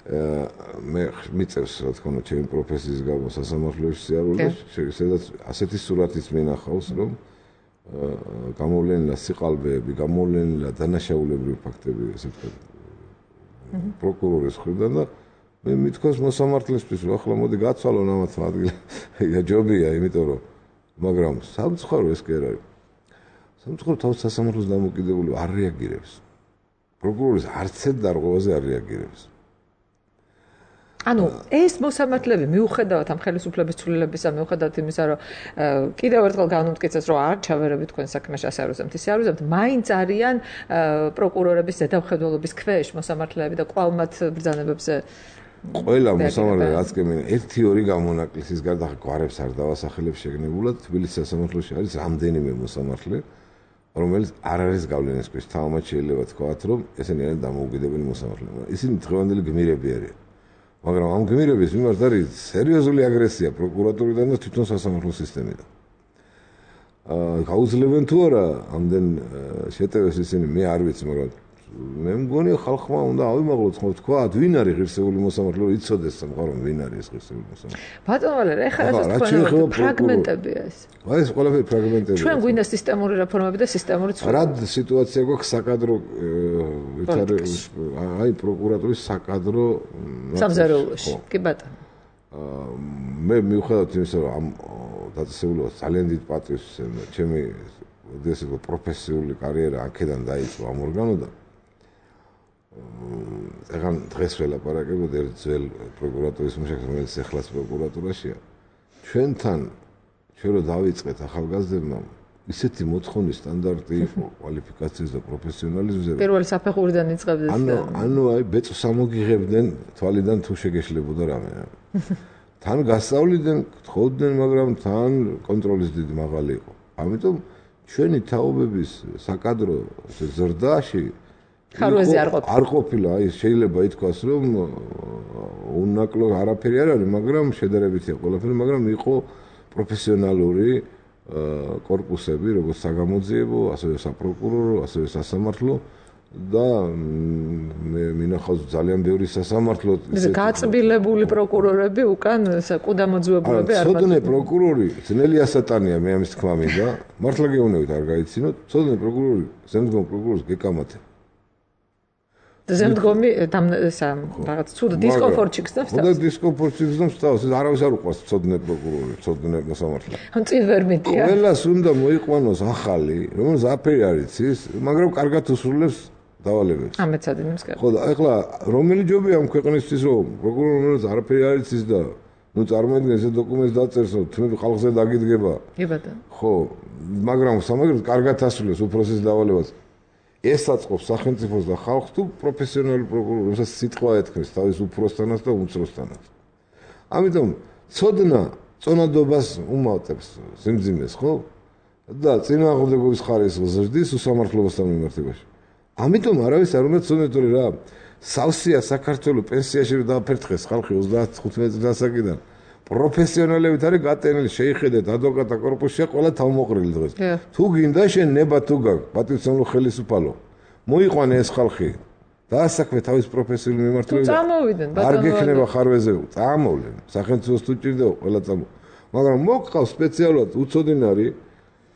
მე მიწევს რა თქმა უნდა ჩემი პროფესიის გამო სასამართლოში სიარული სადაც ასეთი სურათიც მინახავს რომ გამოვლენილა სიყალბეები, გამოვლენილა დანაშაულებრივი ფაქტები ესე ვთქვათ პროკურორის მხრიდან და მე მithქოს მოსამართლესთვის რომ ახლა მოდი გაცვალონ ამათ ადგილი ჯობია იმიტომ რომ მაგრამ სამწუხარო ეს კი არ არის სამწუხარო თავის სასამართლოს დამოკიდებული არ რეაგირებს პროკურორის არც ერთ დარღვევაზე არ რეაგირებს ანუ ეს მოსამართლეები მიუხედავად ამ ხელისუფლების ცვლილებისა, მიუხედავად იმისა, რომ კიდევ ერთხელ განუმტკიცეს, რომ არ ჩავერებით თქვენ საქმეში ასე არ უზემთ, ისე არ უზემთ, მაინც არიან პროკურორების ზედამხედველობის ქვეშ მოსამართლეები და კვლავ მათ ბრძანებებზე ყველა მოსამართლე რაც კი მინდა 1-2 გამონაკლისის გარდა გვარებს არ დავასახელებს შეგნებულად თბილისის სასამართლოში არის რამდენიმე მოსამართლე რომელიც არ არის გავლენის ქვეშ თამამად შეიძლება თქვათ რომ ესენი არიან დამოუკიდებელი მოსამართლეები ისინი დღევანდელი გმირები არიან მაგრამ ამ გმირების მიმართ არის სერიოზული აგრესია პროკურატურიდან და თვითონ სასამართლო სისტემიდან. გაუძლებენ თუ არა ამდენ შეტევებს ისინი მე არ ვიცი, მაგრამ მე მგონია ხალხმა უნდა ავიმაღლოთ ხო თქვა, ვინ არის ღირსეული მოსამართლე, რომ იცოდეს სამყარო ვინ არის ეს ღირსეული მოსამართლე. ბატონო ვალერ, ეხლა თქვენ ფრაგმენტებია ეს. ეს ყველაფერი ფრაგმენტებია. ჩვენ გვინდა სისტემური რეფორმები და სისტემური ცვლილება. რა სიტუაცია გვაქვს საკადრო აი პროკურატურის საკადრო სამზარეულოში. კი ბატონო. მე მიუხედავად იმისა, რომ ამ დაწესებულებას ძალიან დიდ პატრიოტს ჩემი ესე პროფესიული კარიერა აქედან დაიწყო ამ ორგანოდან. ეხლა დღეს ველაპარაკებოდ ერთ ძველ პროკურატურის მუშაკს, რომელიც ეხლაც პროკურატურაშია. ჩვენთან ჩვენ რო დავიწყეთ ახალგაზრდებმა ისეთი მოთხოვნის სტანდარტი იყო კვალიფიკაციის და პროფესიონალიზმზე. პირველი საფეხურიდან იწყებდნენ. ანუ აი ბეწვს ამოგიღებდნენ თვალიდან თუ შეგეშლებოდა რამე. თან გასწავლიდან გთხოვდნენ, მაგრამ თან კონტროლის დიდი მაღალი იყო. ამიტომ ჩვენი თაობების საკადრო ზრდაში ხარვეზე არ ყოფილა, აი შეიძლება ითქვას, რომ უნაკლო არაფერი არ არის, მაგრამ შედარებითია ყველაფერი, მაგრამ იყო პროფესიონალური კორპუსები, როგორც საგამოძიებო, ასევე საპროკურორო, ასევე სასამართლო და მე მინახავს ძალიან ბევრი სასამართლო ისე გაწბილებული პროკურორები უკან საკუდამოძუებულები არ ბატონო. ცოდნე პროკურორი ძნელი ასატანია მე ამის თქმა მინდა. მართლა გეუბნებით არ გაიცინოთ. ცოდნე პროკურორი ზემდგომ პროკურორს გეკამათება. ზემდგომი რაღაც ცუდ დისკომფორტში გზნობს თავს. და დისკომფორტში გზნობს თავს. ეს არავის არ უყვარს ცოდნე პროკურორი, ცოდნე მოსამართლე. წინ ვერ მეტია. ყველას უნდა მოიყვანოს ახალი, რომელიც აფერი არ იცის, მაგრამ კარგად უსრულებს დავალებებს. ამეცადინებს კარგად. ხო და ეხლა რომელი ჯობია ამ ქვეყნისთვის რომ პროკურორი რომელიც არაფერი არ იცის და ნუ წარმოიდგინე ეს დოკუმენტს დაწერს რომ თმები ხალხზე დაგიდგება. კი ბატონო. ხო, მაგრამ სამაგერად კარგად ასრულებს უფროსის დავალებას. ეს აწყობს სახელმწიფოს და ხალხს თუ პროფესიონალი პროკურორი, რომელსაც სიტყვა ეთქმის თავის უფროსთანაც და უმცროსთანაც. ამიტომ ცოდნა წონადობას უმატებს სიმძიმეს, ხო? და წინააღმდეგობის ხარისხს ზრდის უსამართლობასთან მიმართებაში. ამიტომ არავის არ უნდა ცოდნეტური რა. სავსეა საქართველოს პენსიაში დააფერთხეს ხალხი 35 წელიწადიდან. პროფესიონალებით არის გატენილი, შეიხედეთ ადვოკატთა კორპუსში ყველა თავმოყრილი დღეს. თუ გინდა შენ ნება თუ გაქვს პატრიოტული ხელისუფალო. მოიყვანე ეს ხალხი. დაასაქმე თავის პროფესიული მიმართულებით. წამოვიდნენ ბატონო. არ გექნება ხარვეზე, წამოვლენ. სახელმწიფოს თუ ჭირდება ყველა წამო. მაგრამ მოგყავს სპეციალურად უცოდინარი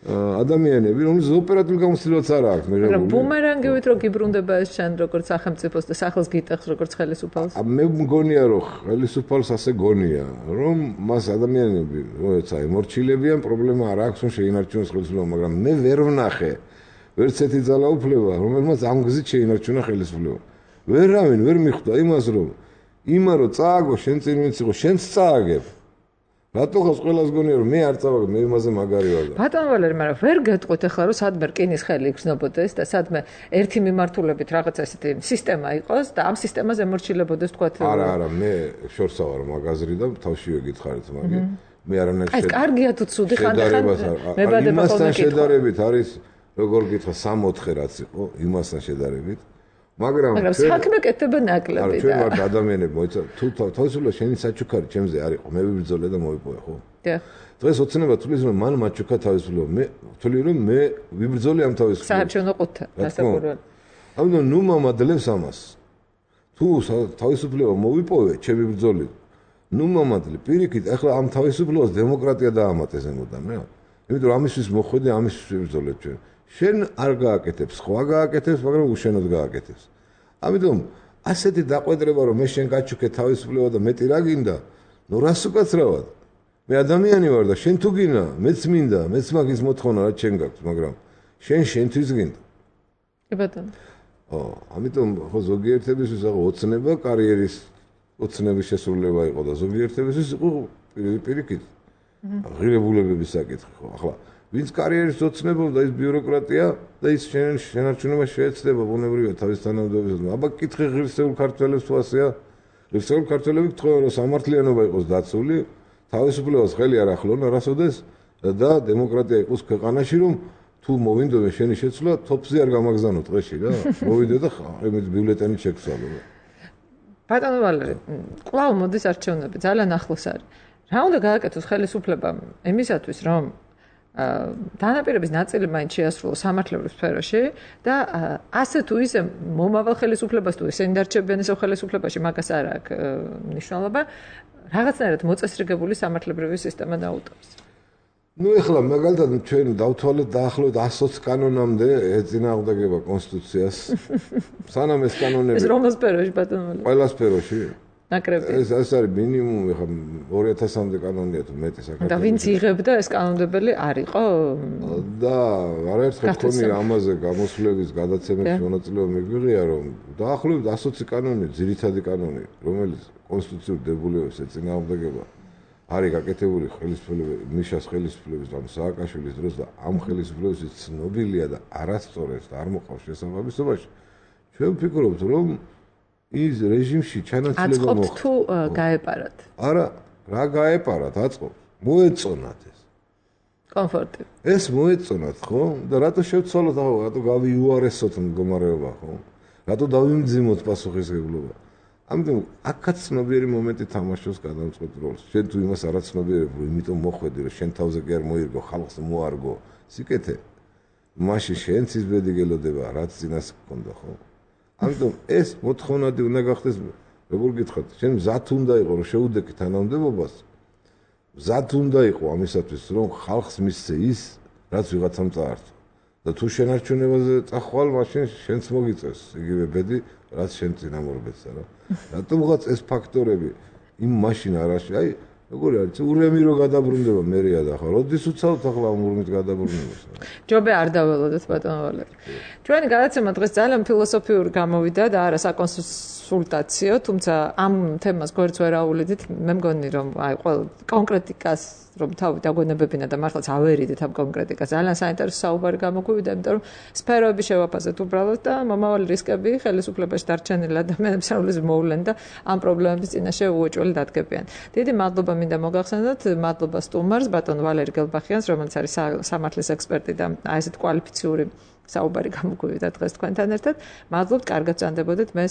ადამიანები, რომლის ოპერატიული გამოცდილებაც არ აქვს მიღებული. მაგრამ ბუმერანგივით რო გიბრუნდება ეს შენ როგორც სახელმწიფოს და სახელს გიტეხს როგორც ხელისუფალს. მე მგონია რომ ხელისუფალს ასე გონია, რომ მას ადამიანები, როცა ემორჩილებიან, პრობლემა არ აქვს, რომ შეინარჩუნოს ხელისუფლება, მაგრამ მე ვერ ვნახე ვერც ერთი ძალაუფლება, რომელმაც ამ გზით შეინარჩუნა ხელისუფლება. ვერავინ ვერ მიხვდა იმას, რომ იმა რო წააგო, შენ წინ ვინც იყო, შენც წააგებ. რატო ხავს ყველას გონია რომ მე არ წავაგებ, მე იმაზე მაგარი ვარ. ბატონო ვალერი, მაგრამ ვერ გეტყვით ახლა რომ სადმე რკინის ხელი იგრძნობოდეს და სადმე ერთი მიმართულებით რაღაც ესეთი სისტემა იყოს და ამ სისტემაზე ემორჩილებოდეს თქვათ. არა, მე შორსა ვარ მაგაზრი და თავშივე გითხარით მაგი. მე არანაირ ეს კარგია თუ ცუდი ხანდახან მებადება იმასთან შედარებით არის როგორ გითხრა 3-4 რაც იყო იმასთან შედარებით მაგრამ საქმე კეთდება ნაკლები და ჩვენ ვართ ადამიანები მოიცა თუ თავისუფლად შენი საჩუქარი ჩემზე არ იყო მე ვიბრძოლე და მოვიპოვე ხო დღეს ოცნება თulis რომ მან მაჩუქა თავისუფლად მე ვთვლი რომ მე ვიბრძოლე ამ თავისუფლად საარჩევნო ყუთა დასაკურველი ამიტომ ნუ მომადლებს ამას თუ თავისუფლება მოვიპოვე ჩემი ბრძოლით ნუ მომადლე პირიქით ახლა ამ თავისუფლებას დემოკრატია დაამატეს ემოდან რა იმიტომ რომ ამისთვის მოხვედი ამისთვის ვიბრძოლე ჩვენ შენ არ გააკეთებს სხვა გააკეთებს მაგრამ უშენოდ გააკეთებს ამიტომ ასეთი დაყვედრება რომ მე შენ გაჩუქე თავისუფლება და მეტი რა გინდა ნუ რას უკაცრავად მე ადამიანი ვარ და შენ თუ გინდა მეც მინდა მეც მაგის მოთხოვნა რაც შენ გაქვს მაგრამ შენთვის გინდა კი ბატონო ამიტომ ხო ზოგიერთებისთვის ახლა ოცნება კარიერის ოცნების შესრულება იყო და ზოგიერთებისთვის იყო პირიქით ღირებულებების საკითხი ხო ახლა ვინც კარიერის ოცნებობს და ის ბიუროკრატია და ის შენარჩუნება შეეცდება ბუნებრივია თავის თანამდებობისას აბა კითხე ღირსეულ ქართველებს თუ ასეა ღირსეულ ქართველები გთხოვენ რომ სამართლიანობა იყოს დაცული თავისუფლებას ხელი არ ახლონ არასოდეს და დემოკრატია იყოს ქვეყანაში რომ თუ მოვინდოდე შენი შეცვლა თოპზე არ გამაგზავნო დღეში რა მოვიდე და იმით ბიულეტენი შეგცვალო ბატონო ვალერი კვლავ მოდის არჩევნები ძალიან ახლოს არის რა უნდა გააკეთოს ხელისუფლებამ იმისათვის რომ დანაპირების ნაწილი მაინც შეასრულოს სამართლებრივ სფეროში და ასე თუ ისე მომავალ ხელისუფლებას თუ ისინი დარჩებიან ისევ ხელისუფლებაში მაგას არ აქვს მნიშვნელობა რაღაცნაირად მოწესრიგებული სამართლებრივი სისტემა დაუტოვოს ნუ ეხლა მაგალითად ჩვენ დავთვალეთ დაახლოებით 120 კანონამდე ეწინააღმდეგება კონსტიტუციას სანამ ეს კანონები ეს რომელ სფეროში ბატონო ყველა სფეროში ნაკრები ეს არის მინიმუმი ხა 2000-მდე კანონია თუ მეტი საქართველოს და ვინც იღებდა ეს კანონმდებელი არ იყო და არაერთხელ თქვენი ამაზე გამოსვლების გადაცემების მონაწილეობა მიგვიღია რომ დაახლოებით 120 კანონი ძირითადი კანონი რომელიც კონსტიტუციურ დებულებებს ეწინააღმდეგება არის გაკეთებული ხელისუფლების მიშას ხელისუფლების ან სააკაშვილის დროს და ამ ხელისუფლების ცნობილია და არასწორებს და არ მოყავს შესაბამისობაში ჩვენ ვფიქრობთ რომ ის რეჟიმში ჩანაცვლება მოხდა. აწყობთ თუ გაეპარათ? არა, რა გაეპარათ, აწყობთ. მოეწონათ ეს. კომფორტი. ეს მოეწონათ, ხო? და რატო შევცვალოთ, რატო გავიუარესოთ მდგომარეობა, ხო? რატო დავიმძიმოთ პასუხისმგებლობა? ამიტომ აქაც ცნობიერი მომენტი თამაშობს გადამწყვეტ როლს. შენ თუ იმას არ აცნობიერებ, რომ იმიტომ მოხვედი, რომ შენ თავზე კი არ მოირგო, ხალხს მოარგო. სიკეთე. მაშინ შენც ის ბედი გელოდება, რაც წინას გქონდა, ხო? ამიტომ ეს მოთხოვნადი უნდა გახდეს, როგორ გითხრათ, შენ მზად უნდა იყო, რომ შეუდექი თანამდებობას. მზად უნდა იყო ამისათვის, რომ ხალხს მისცე ის, რაც ვიღაცამ წაართვა. და თუ შენარჩუნებაზე წახვალ, მაშინ შენც მოგიწევს იგივე ბედი, რაც შენ წინამორბედსა რა. რატომღაც ეს ფაქტორები იმ მაშინ არაში, აი, როგორ არის, ურემი რო გადაბრუნდება მერია და ხა, როდის უცალთ ახლა ამ ურმით გადაბრუნებას. ჯობე არ დაველოდეთ ბატონო ვალერი. ჩვენი გადაცემა დღეს ძალიან ფილოსოფიური გამოვიდა და არა საკონსულტაციო, თუმცა ამ თემას გვერდს ვერ აუვლიდით. მე მგონი რომ აი ყველა კონკრეტიკას რომ თავი დაგვენებებინა და მართლაც ავერიდით ამ კონკრეტიკას. ძალიან საინტერესო საუბარი გამოგვივიდა, იმიტომ რომ სფეროები შევაფასეთ უბრალოდ და მომავალი რისკები ხელისუფლებაში დარჩენილ ადამიანებს აულის მოვლენ და ამ პრობლემების წინაშე უოჭველი დადგებიან. დიდი მადლობა მინდა მოგახსენოთ, მადლობა სტუმარს, ბატონ ვალერი გელბახიანს, რომელიც არის სამართლის ექსპერტი და აი ესეთ კვალიფიციური საუბარი გამოგვივიდა დღეს თქვენთან ერთად. მადლობთ, კარგად წანდებოდეთ. მე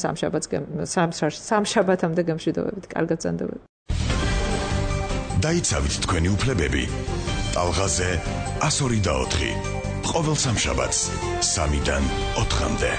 სამშაბათამდე გემშვიდობებით. კარგად წანდებოდეთ. დაიცავით თქვენი უფლებები. ტალღაზე 102 და 4. ყოველ სამშაბათს 3-დან 4-მდე.